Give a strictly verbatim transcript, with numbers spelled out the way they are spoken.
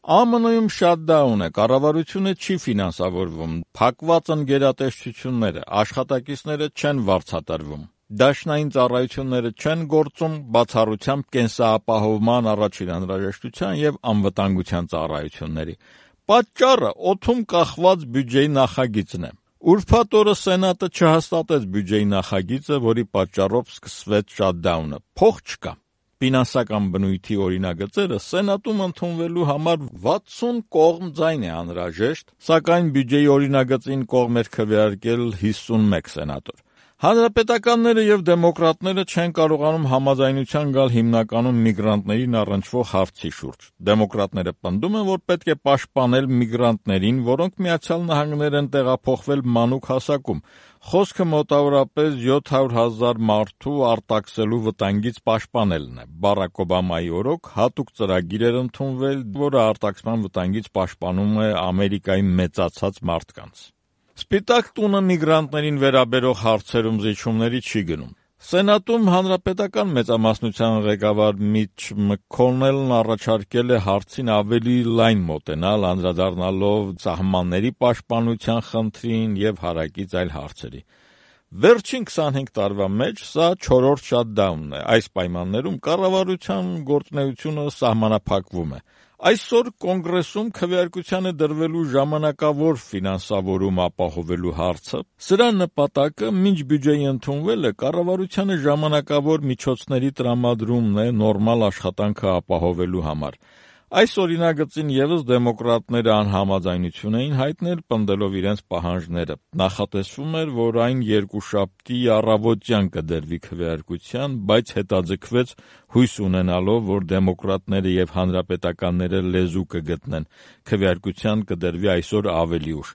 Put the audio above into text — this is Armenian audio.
Է Մը Նույն շատդաուն է, կառավարությունը չի ֆինանսավորվում, փակված են գերատեսչությունները, աշխատակիցները չեն վարձատրվում, դաշնային ծառայությունները չեն գործում, բացառությամբ կենսապահովման, առաջին անհրաժեշտության եւ անվտանգության ծառայությունների։ Պատճառը օդում կախված բյուջեի նախագիծն է։ Ուրբաթ օրը Սենատը չհաստատեց բյուջեի նախագիծը, որի պատճառով սկսվեց շատդաունը։ Փող չկա։ Ֆինանսական բնույթի օրինագծերը Սենատում ընդունվելու համար վաթսուն կողմ ձայն է անհրաժեշտ, սակայն բյուջեի օրինագծին կողմ էր քվեարկել հիսունմեկ սենատոր։ Հանրապետականները եւ դեմոկրատները չեն կարողանում համաձայնության գալ հիմնականում միգրանտներին առնչվող հարցի շուրջ։ Դեմոկրատները պնդում են, որ պետք է պաշտպանել միգրանտներին, որոնք Միացյալ Նահանգներ են տեղափոխվել մանուկ հասակում։ Խոսքը մոտավորապես յոթ հարյուր հազար մարդու արտաքսելու վտանգից պաշտպանելն է։ Բարաք Օբամայի օրոք հատուկ ծրագիր էր ընդունվել, որը արտաքսման վտանգից պաշտպանում է Ամերիկայի մեծացած մարդկանց։ Սպիտակ տունը միգրանտներին վերաբերող հարցերում զիջումների չի գնում։ Սենատում հանրապետական մեծամասնության ղեկավար Միչ Մքոնելն առաջարկել է հարցին ավելի լայն մոտենալ, անդրադառնալով սահմանների պաշտպանության խնդրին եւ հարակից այլ հարցերի։ Վերջին քսանհինգ տարվա մեջ սա չորրորդ շատդաունն է։ Այս պայմաններում կառավարության գործունեությունը սահմանափակվում է։ Այսօր Կոնգրեսում քվեարկության է դրվելու ժամանակավոր ֆինանսավորում ապահովելու հարցը։ Սրա նպատակը մինչ բյուջեի ընդունվելը կառավարությանը ժամանակավոր միջոցների տրամադրումն է նորմալ աշխատանքը ապահովելու համար։ Այս օրինագծին ևս դեմոկրատները անհամաձայնություն էին հայտնել, պնդելով իրենց պահանջները։ Նախատեսվում էր, որ այն երկուշաբթի առավոտյան կդրվի քվեարկության, բայց հետաձգվեց հույս ունենալով, որ դեմոկրատները եւ հանրապետականները լեզու կգտնեն։ Քվեարկության կդրվի այսօր ավելի ուշ։